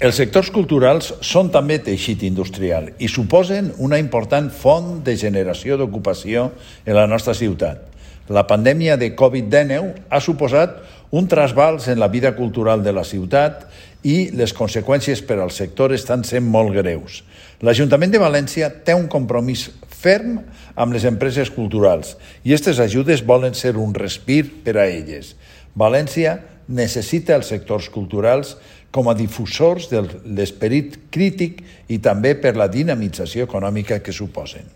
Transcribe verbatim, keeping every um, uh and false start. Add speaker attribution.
Speaker 1: Els sectors culturals són també teixit industrial i suposen una important font de generació d'ocupació en la nostra ciutat. La pandèmia de covid dinou ha suposat un trasbals en la vida cultural de la ciutat i les conseqüències per al sector estan sent molt greus. L'Ajuntament de València té un compromís ferm amb les empreses culturals i aquestes ajudes volen ser un respir per a elles. València necessita els sectors culturals com a difusors de l'esperit crític i també per la dinamització econòmica que suposen.